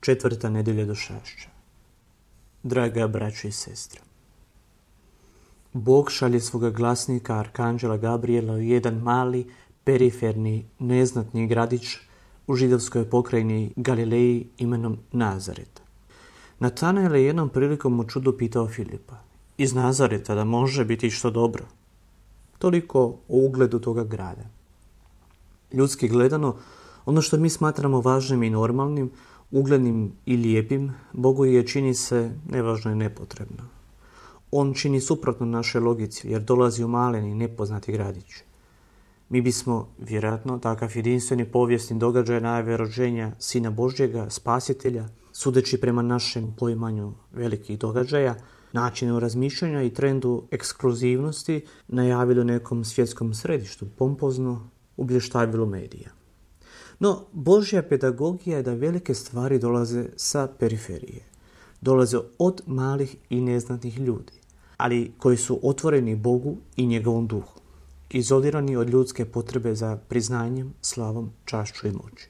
4. nedjelja došašća. Draga braćo i sestre, Bog šalje svoga glasnika, arkanđela Gabriela, u jedan mali, periferni, neznatni gradić u židovskoj pokrajini Galileji imenom Nazaret. Natanael je jednom prilikom u čudu pitao Filipa: iz Nazareta da može biti što dobro? Toliko o ugledu toga grada. Ljudski gledano, ono što mi smatramo važnim i normalnim, uglednim i lijepim, Bogu je čini se nevažno i nepotrebno. On čini suprotno našoj logici, jer dolazi u malen i nepoznati gradić. Mi bismo, vjerojatno, takav jedinstveni povijesni događaj najave rođenja Sina Božjega, Spasitelja, sudeći prema našem poimanju velikih događaja, načinu razmišljanja i trendu ekskluzivnosti, najavili u nekom svjetskom središtu, pompozno ublještavilu medija. No, Božja pedagogija je da velike stvari dolaze sa periferije. Dolaze od malih i neznatnih ljudi, ali koji su otvoreni Bogu i njegovom duhu, izolirani od ljudske potrebe za priznanjem, slavom, čašću i moći.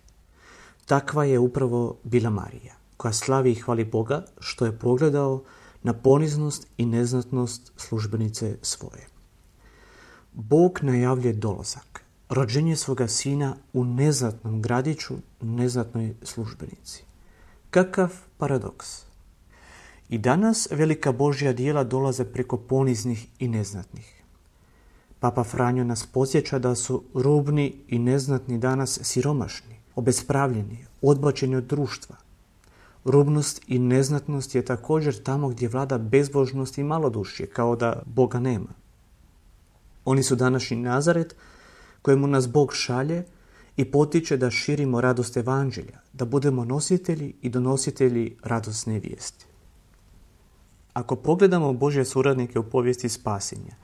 Takva je upravo bila Marija, koja slavi i hvali Boga što je pogledao na poniznost i neznatnost službenice svoje. Bog najavljuje dolazak, rođenje svoga sina u neznatnom gradiću, neznatnoj službenici. Kakav paradoks! I danas velika Božja djela dolaze preko poniznih i neznatnih. Papa Franjo nas podsjeća da su rubni i neznatni danas siromašni, obespravljeni, odbačeni od društva. Rubnost i neznatnost je također tamo gdje vlada bezbožnost i malodušje, kao da Boga nema. Oni su današnji Nazaret kojemu nas Bog šalje i potiče da širimo radost evanđelja, da budemo nositelji i donositelji radosne vijesti. Ako pogledamo Božje suradnike u povijesti spasenja,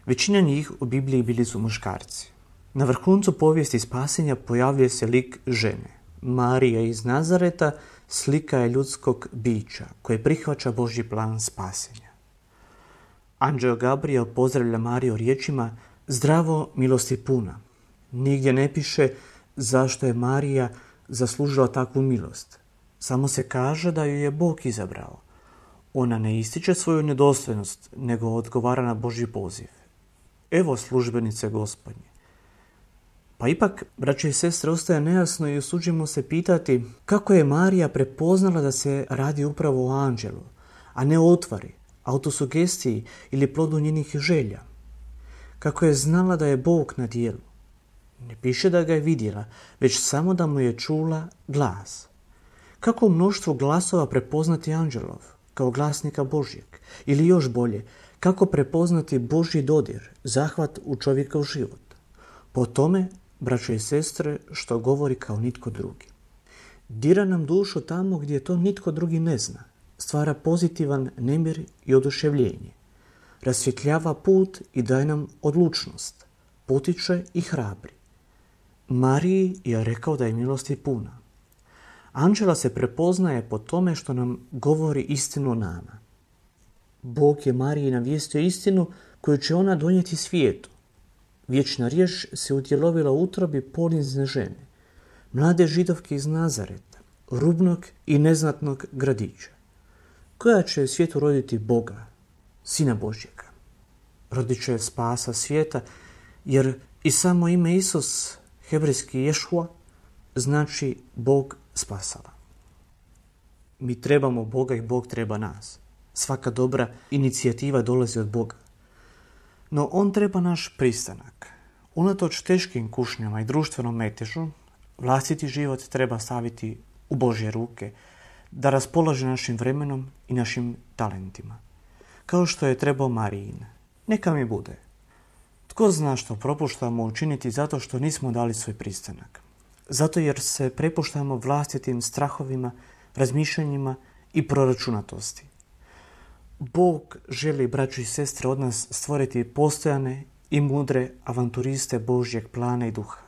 većina njih u Bibliji bili su muškarci. Na vrhuncu povijesti spasenja pojavljuje se lik žene. Marija iz Nazareta slika je ljudskog bića koje prihvaća Božji plan spasenja. Anđeo Gabriel pozdravlja Mariju riječima: zdravo, milosti puna. Nigdje ne piše zašto je Marija zaslužila takvu milost. Samo se kaže da ju je Bog izabrao. Ona ne ističe svoju nedostojnost, nego odgovara na Božji poziv. Evo službenice Gospodnje. Pa ipak, braće i sestre, ostaje nejasno i usuđujemo se pitati kako je Marija prepoznala da se radi upravo o anđelu, a ne o utvari, autosugestiji ili plodu njenih želja. Kako je znala da je Bog na djelu? Ne piše da ga je vidjela, već samo da mu je čula glas. Kako u mnoštvu glasova prepoznati anđelov, kao glasnika Božjeg? Ili još bolje, kako prepoznati Božji dodir, zahvat u čovjekov život? Po tome, braćo i sestre, što govori kao nitko drugi. Dira nam dušu tamo gdje to nitko drugi ne zna. Stvara pozitivan nemir i oduševljenje. Rasvjetljava put i daje nam odlučnost. Potiče i hrabri. Mariji je rekao da je milosti puna. Anđela se prepoznaje po tome što nam govori istinu o nama. Bog je Mariji navijestio istinu koju će ona donijeti svijetu. Vječna riječ se utjelovila u utrobi ponizne žene, mlade židovke iz Nazareta, rubnog i neznatnog gradića, koja će u svijetu roditi Boga, Sina Božjega. Rodit će spasa svijeta, jer i samo ime Isus, hebrejski Ješua, znači Bog spasava. Mi trebamo Boga i Bog treba nas. Svaka dobra inicijativa dolazi od Boga. No on treba naš pristanak. Unatoč teškim kušnjama i društvenom metežu, vlastiti život treba staviti u Božje ruke, da raspolaže našim vremenom i našim talentima. Kao što je trebao Marijin. Neka mi bude. Tko zna što propuštamo učiniti zato što nismo dali svoj pristanak? Zato jer se prepuštamo vlastitim strahovima, razmišljanjima i proračunatosti. Bog želi, braćo i sestre, od nas stvoriti postojane i mudre avanturiste Božjeg plana i duha.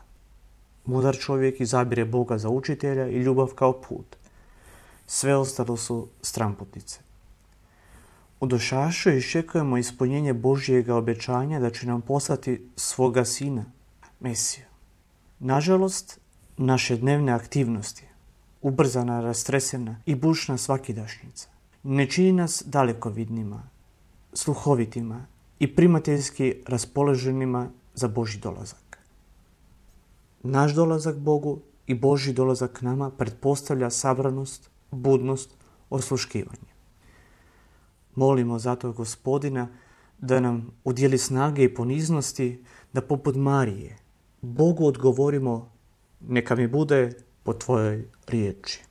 Mudar čovjek izabire Boga za učitelja i ljubav kao put. Sve ostalo su stranputnice. U došašću iščekujemo ispunjenje Božjega obećanja da će nam poslati svoga sina, Mesiju. Nažalost, naše dnevne aktivnosti, ubrzana, rastresena i bušna svakidašnjica. Ne čini nas dalekovidnima, sluhovitima i primateljski raspoloženima za Božji dolazak. Naš dolazak Bogu i Božji dolazak nama pretpostavlja sabranost, budnost, osluškivanje. Molimo zato Gospodina da nam udjeli snage i poniznosti da poput Marije Bogu odgovorimo: neka mi bude po tvojoj riječi.